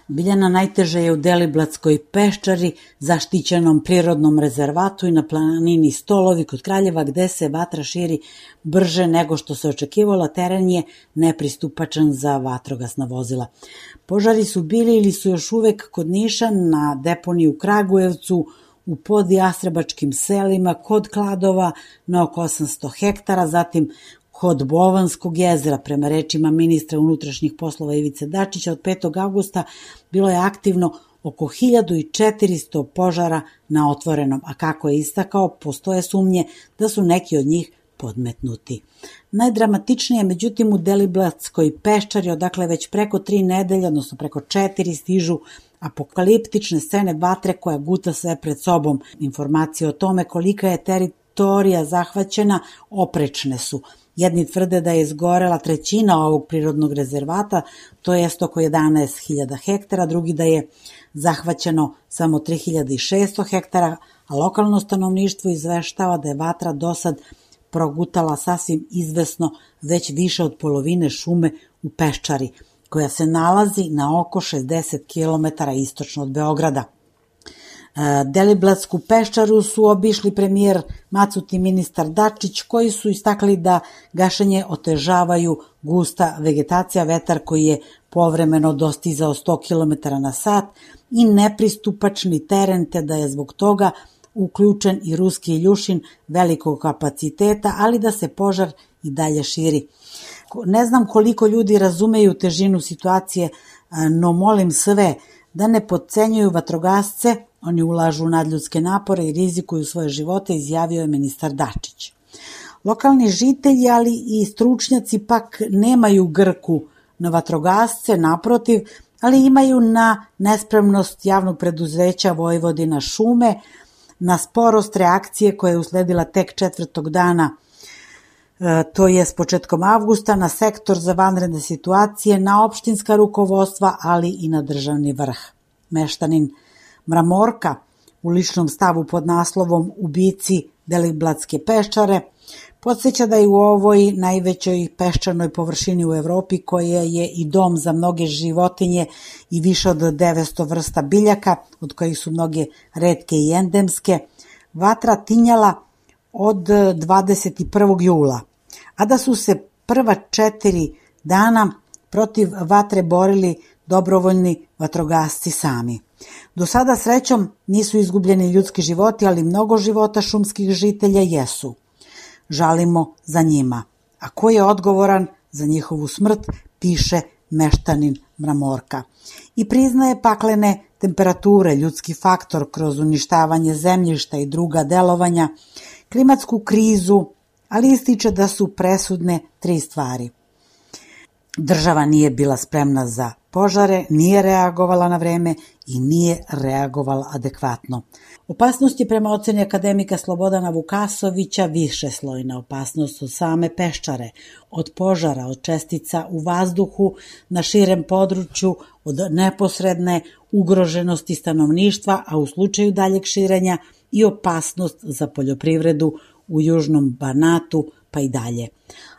Biljana, najteže je u Deliblatskoj peščari, zaštićenom prirodnom rezervatu i na planini Stolovi kod Kraljeva, gde se vatra širi brže nego što se očekivalo, teren je nepristupačan za vatrogasna vozila. Požari su bili ili su još uvek kod Niša, na deponiji u Kragujevcu, u podjastrebačkim selima, kod Kladova na oko osamsto hektara, zatim kod Bovanskog jezera. Prema rečima ministra unutrašnjih poslova Ivice Dačića, od petog avgusta bilo je aktivno oko hiljadu četiristo požara na otvorenom, a kako je istakao, postoje sumnje da su neki od njih podmetnuti. Najdramatičnije, međutim, u Deliblatskoj peščari, odakle već preko tri nedelje, odnosno preko četiri, stižu apokaliptične scene vatre koja guta sve pred sobom. Informacije o tome kolika je teritorija zahvaćena oprečne su. Jedni tvrde da je izgorela trećina ovog prirodnog rezervata, to jest oko jedanaest hiljada hektara, drugi da je zahvaćeno samo tri hiljade šesto hektara, a lokalno stanovništvo izveštava da je vatra dosad progutala sasvim izvesno već više od polovine šume u Peščari, koja se nalazi na oko šezdeset kilometara istočno od Beograda. Deliblatsku peščaru su obišli premijer Macut i ministar Dačić, koji su istakli da gašenje otežavaju gusta vegetacija, vetar koji je povremeno dostizao sto kilometara na sat i nepristupačni teren, te da je zbog toga uključen i ruski Iljušin velikog kapaciteta, ali da se požar i dalje širi. Ne znam koliko ljudi razumeju težinu situacije, no molim sve da ne potcenjuju vatrogasce, oni ulažu u nadljudske napore i rizikuju svoje živote, izjavio je ministar Dačić. Lokalni žitelji, ali i stručnjaci pak nemaju grku na vatrogasce, naprotiv, ali imaju na nespremnost javnog preduzeća Vojvodina šume, na sporost reakcije koja je usledila tek četvrtog dana, to je s početkom avgusta, na sektor za vanredne situacije, na opštinska rukovodstva, ali i na državni vrh. Meštanin Mramorka u ličnom stavu pod naslovom Ubici Deliblatske peščare podsjeća da je u ovoj najvećoj peščanoj površini u Evropi, koja je i dom za mnoge životinje i više od devetsto vrsta biljaka, od kojih su mnoge retke i endemske, vatra tinjala od dvadeset prvog jula, a da su se prva četiri dana protiv vatre borili dobrovoljni vatrogasci sami. Do sada srećom nisu izgubljeni ljudski životi, ali mnogo života šumskih žitelja jesu. Žalimo za njima. A ko je odgovoran za njihovu smrt, piše meštanin Mramorka. I priznaje paklene temperature, ljudski faktor kroz uništavanje zemljišta i druga delovanja, klimatsku krizu, ali ističe da su presudne tri stvari. Država nije bila spremna za požare, nije reagovala na vreme i nije reagovala adekvatno. Opasnost je prema oceni akademika Slobodana Vukasovića višeslojna opasnost od same peščare, od požara, od čestica u vazduhu na širem području, od neposredne ugroženosti stanovništva, a u slučaju daljeg širenja i opasnost za poljoprivredu u južnom Banatu, pa i dalje.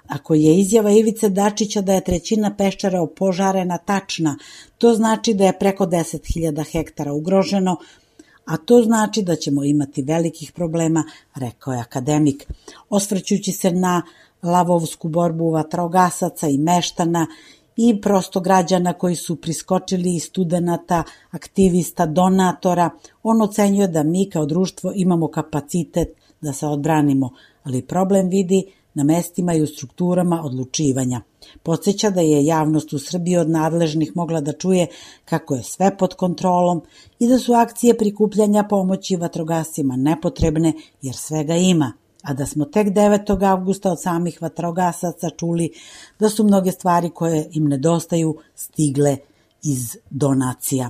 Ako je izjava Ivice Dačića da je trećina Peščara opožarena tačna, to znači da je preko deset hiljada hektara ugroženo, a to znači da ćemo imati velikih problema, rekao je akademik. Osvrćući se na lavovsku borbu vatrogasaca i meštana i prosto građana koji su priskočili, i studenata, aktivista, donatora, on ocenjuje da mi kao društvo imamo kapacitet da se odbranimo, ali problem vidi na mestima i u strukturama odlučivanja. Podsjeća da je javnost u Srbiji od nadležnih mogla da čuje kako je sve pod kontrolom i da su akcije prikupljanja pomoći vatrogascima nepotrebne jer svega ima, a da smo tek devetog avgusta od samih vatrogasaca čuli da su mnoge stvari koje im nedostaju stigle iz donacija.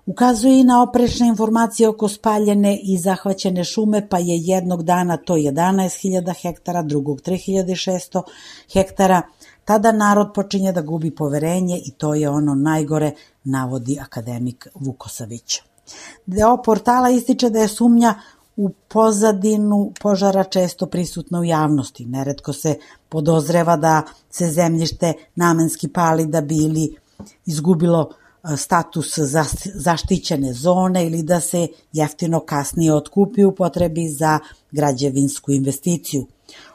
Ukazuje i na oprečne informacije oko spaljene i zahvaćene šume, pa je jednog dana to jedanaest hiljada hektara, drugog tri hiljade šesto hektara. Tada narod počinje da gubi poverenje i to je ono najgore, navodi akademik Vukosavić. Deo portala ističe da je sumnja u pozadinu požara često prisutna u javnosti. Neretko se podozreva da se zemljište namenski pali da bi ili izgubilo status zaštićene zone ili da se jeftino kasnije otkupi u potrebi za građevinsku investiciju.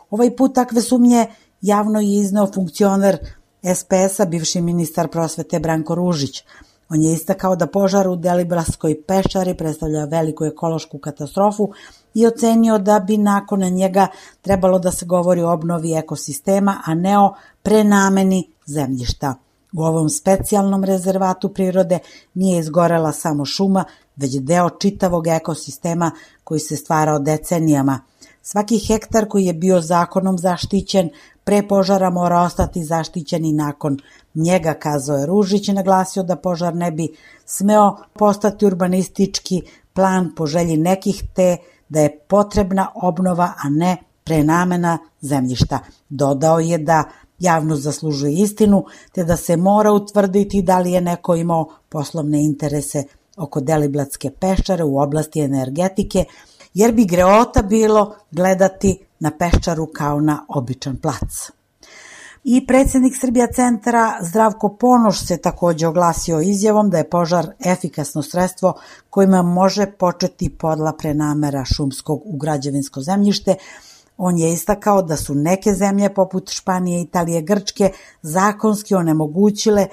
Ovaj put takve sumnje javno je izneo funkcioner es pe es a, bivši ministar prosvete Branko Ružić. On je istakao da požar u Deliblatskoj peščari predstavlja veliku ekološku katastrofu i ocenio da bi nakon njega trebalo da se govori o obnovi ekosistema, a ne o prenameni zemljišta. U ovom specijalnom rezervatu prirode nije izgorela samo šuma, već deo čitavog ekosistema koji se stvarao decenijama. Svaki hektar koji je bio zakonom zaštićen pre požara mora ostati zaštićen i nakon njega, kazao je Ružić i naglasio da požar ne bi smeo postati urbanistički plan po želji nekih, te da je potrebna obnova, a ne prenamena zemljišta. Dodao je da javnost zaslužuje istinu, te da se mora utvrditi da li je neko imao poslovne interese oko Deliblatske peščare u oblasti energetike, jer bi greota bilo gledati na Peščaru kao na običan plac. I predsjednik Srbija centra Zdravko Ponoš se takođe oglasio izjavom da je požar efikasno sredstvo kojima može početi podla prenamera šumskog u građevinsko zemljište. On je istakao da su neke zemlje poput Španije, Italije, Grčke zakonski onemogućile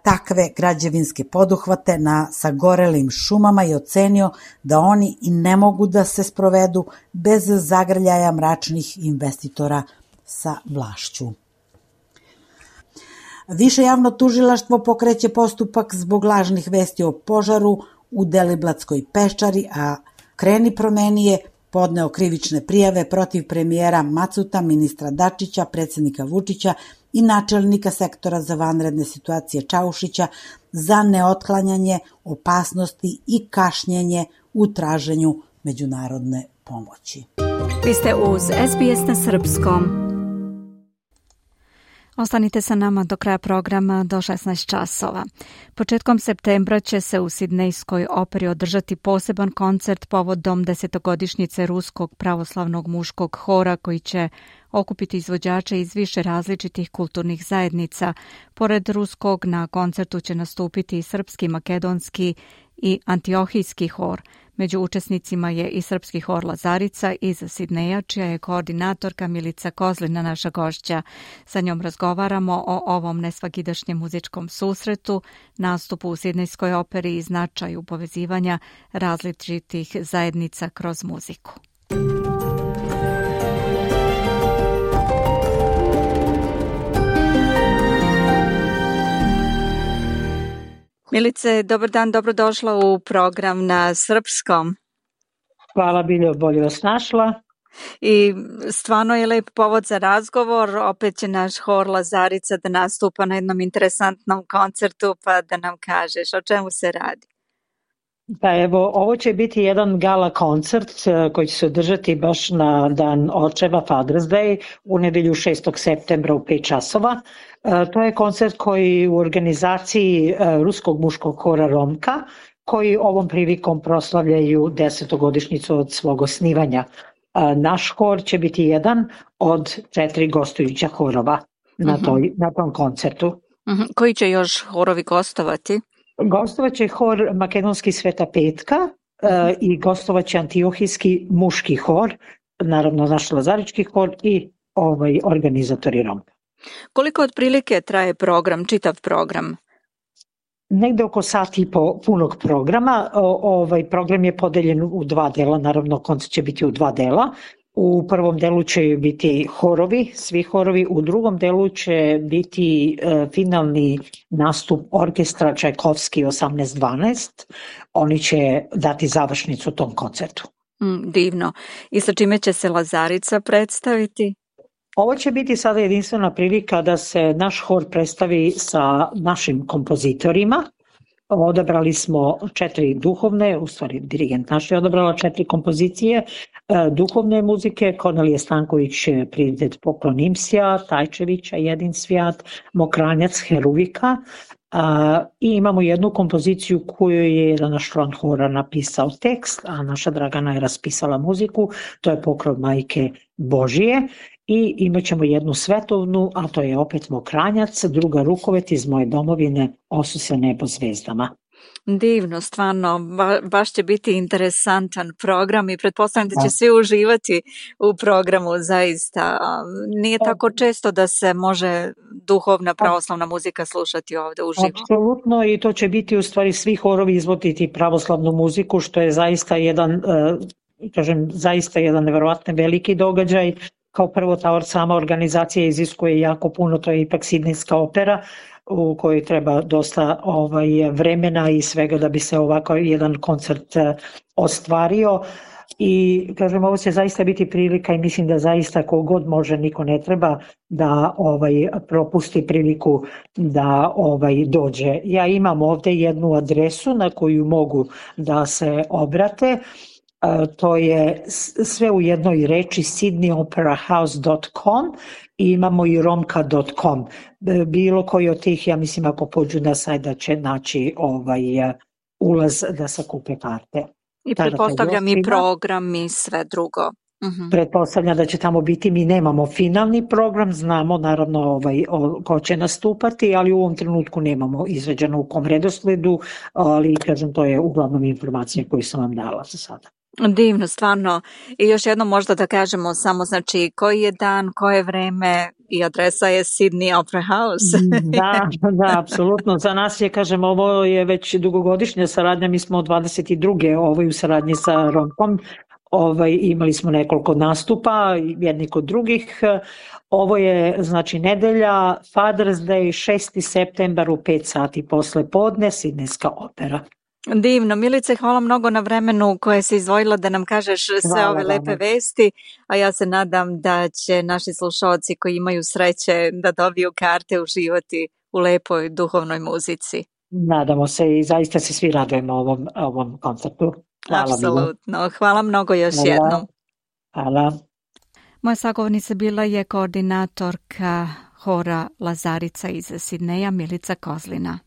takve građevinske poduhvate na sagorelim šumama i ocenio da oni i ne mogu da se sprovedu bez zagrljaja mračnih investitora sa vlašću. Više javno tužilaštvo pokreće postupak zbog lažnih vesti o požaru u Deliblatskoj peščari, a Kreni promeni je podneo krivične prijave protiv premijera Macuta, ministra Dačića, predsjednika Vučića i načelnika sektora za vanredne situacije Čaušića za neotklanjanje opasnosti i kašnjenje u traženju međunarodne pomoći. Vi ste uz es be es na srpskom. Ostanite sa nama do kraja programa do šesnaest časova. Početkom septembra će se u Sidnejskoj operi održati poseban koncert povodom desetogodišnjice Ruskog pravoslavnog muškog hora koji će okupiti izvođače iz više različitih kulturnih zajednica. Pored ruskog na koncertu će nastupiti i srpski, makedonski i antiohijski hor. Među učesnicima je i srpski hor Lazarica iz Sidneja, čija je koordinatorka Milica Kozlina naša gošća. Sa njom razgovaramo o ovom nesvakidašnjem muzičkom susretu, nastupu u Sidnejskoj operi i značaju povezivanja različitih zajednica kroz muziku. Milice, dobar dan, dobrodošla u program na srpskom. Hvala, Biljo, bolje vas našla. I stvarno je lep povod za razgovor, opet će naš hor Lazarica da nastupa na jednom interesantnom koncertu, pa da nam kažeš o čemu se radi. Pa evo, ovo će biti jedan gala koncert koji će se održati baš na dan očeva, Father's Day, u nedelju šestog septembra u pet časova. To je koncert koji u organizaciji Ruskog muškog hora Romka, koji ovom prilikom proslavljaju desetogodišnjicu od svog osnivanja. Naš hor će biti jedan od četiri gostujuća horova na, toj, na tom koncertu. Uh-huh. Koji će još horovi gostovati? Gostovat će hor Makedonski Sveta Petka uh-huh. uh, i gostovat će Antiohijski muški hor, naravno naš Lazarički hor i ovaj, organizatori Romka. Koliko otprilike traje program, čitav program? Negde oko sat i po punog programa. O, ovaj program je podeljen u dva dela, naravno koncert će biti u dva dela. U prvom delu će biti horovi, svi horovi, u drugom delu će biti e, finalni nastup orkestra Čajkovski osamnaest dvanaest. Oni će dati završnicu tom koncertu. Mm, divno. I sa čime će se Lazarica predstaviti? Ovo će biti sada jedinstvena prilika da se naš hor predstavi sa našim kompozitorima. Odabrali smo četiri duhovne, u stvari dirigent naš je odabrala četiri kompozicije duhovne muzike, Kornelije Stanković, Prioritet poklon Imsija, Tajčevića, Jedin svijat, Mokranjac, Heruvika. I imamo jednu kompoziciju koju je jedan naš član hora napisao tekst, a naša Dragana je raspisala muziku, to je Pokrov Majke Božije. I imat ćemo jednu svetovnu, a to je opet Mokranjac, druga Rukovet iz moje domovine, Osu se nebo zvezdama. Divno, stvarno, ba, baš će biti interesantan program i pretpostavljam da će svi uživati u programu, zaista. Nije tako često da se može duhovna pravoslavna muzika slušati ovde uživo. Apsolutno, i to će biti u stvari svi horovi izvoditi pravoslavnu muziku, što je zaista jedan, kažem, zaista jedan neverovatno veliki događaj. Kao prvo, ta sama organizacija iziskuje jako puno, to je ipak Sidnejska opera u kojoj treba dosta ovaj, vremena i svega da bi se ovako jedan koncert ostvario. I kažem, ovo će zaista biti prilika i mislim da zaista kogod može, niko ne treba da ovaj, propusti priliku da ovaj, dođe. Ja imam ovde jednu adresu na koju mogu da se obrate. Uh, to je sve u jednoj reči sydney opera house dot com i imamo i romka dot com. Bilo koji od tih, ja mislim, ako pođu na sajt da će naći ovaj, ulaz da sakupe karte. I pretpostavljam i program i sve drugo. Uh-huh. Pretpostavljam da će tamo biti, mi nemamo finalni program, znamo naravno ovaj, o, ko će nastupati, ali u ovom trenutku nemamo izveđeno u kom redosledu, ali kažem, to je uglavnom informacija koju sam vam dala za sada. Divno, stvarno. I još jedno možda da kažemo samo, znači, koji je dan, koje vreme i adresa je Sydney Opera House. Da, da, apsolutno. Za nas je, kažem, ovo je već dugogodišnja saradnja, mi smo od dvadeset druge ovaj, u saradnji sa Romkom. Ovaj, imali smo nekoliko nastupa, jedni kod drugih. Ovo je, znači, nedelja, Father's Day, šesti septembar u pet sati posle podne, Sidnejska opera. Divno. Milice, hvala mnogo na vremenu koje si izdvojila da nam kažeš sve hvala, ove lepe hvala. Vesti, a ja se nadam da će naši slušalci koji imaju sreće da dobiju karte uživati u lepoj duhovnoj muzici. Nadamo se i zaista se svi radujemo ovom, ovom koncertu. Hvala. Apsolutno. Hvala mnogo još hvala. jednom. Hvala. Moja sagovornica bila je koordinatorka hora Lazarica iz Sidneja, Milica Kozlina.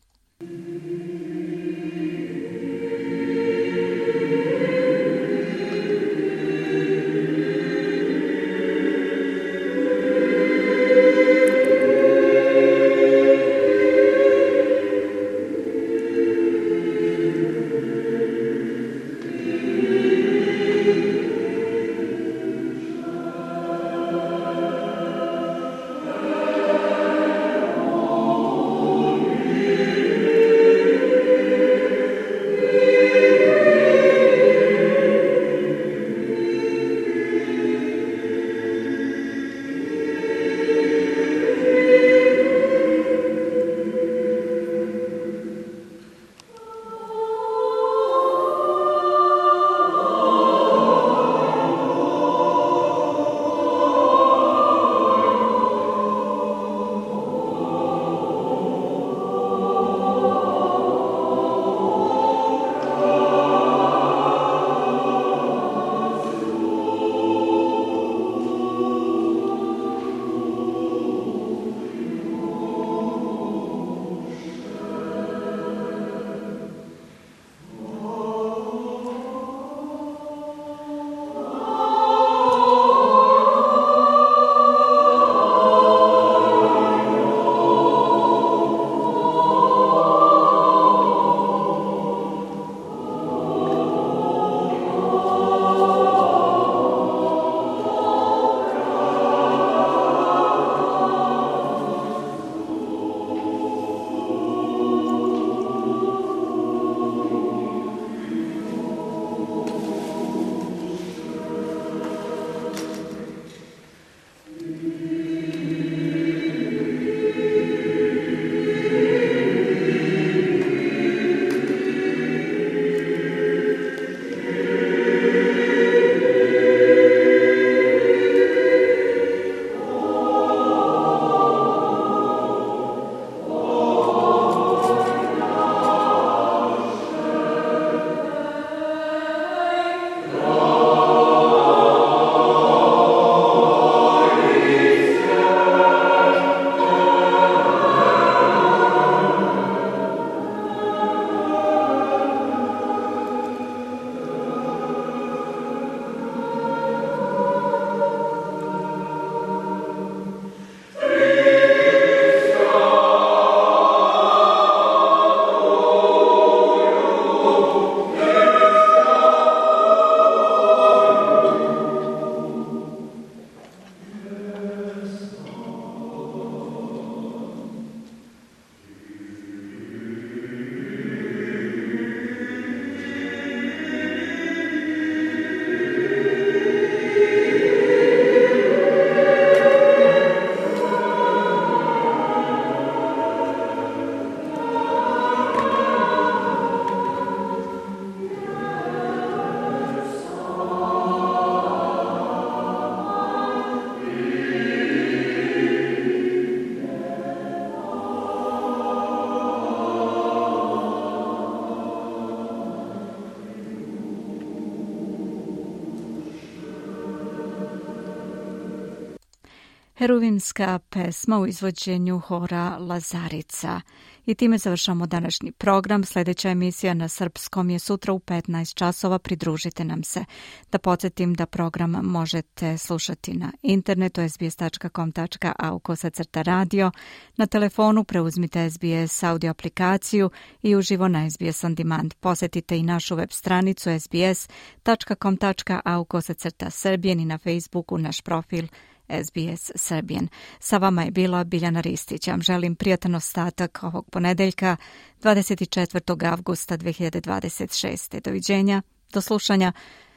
heruvimska pesma u izvođenju hora Lazarica. I time završamo današnji program. Sljedeća emisija na srpskom je sutra u petnaest časova. Pridružite nam se. Da podsjetim da program možete slušati na internetu es bi es tačka com tačka a u kosacrta radio. Na telefonu preuzmite es bi es audio aplikaciju i uživo na es bi es On Demand. Posjetite i našu web stranicu es bi es tačka com tačka a u kosacrta Serbian i na Facebooku naš profil es bi es Serbian. Sa vama je bila Biljana Ristić. Vam želim prijatan ostatak ovog ponedeljka, dvadeset četvrtog avgusta dve hiljade dvadeset šeste. Doviđenja, do slušanja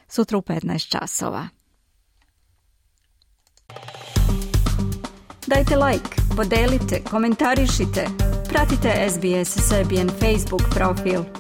sutra u petnaest časova. Dajte like, podelite, komentarišite. Pratite es bi es Serbian Facebook profil.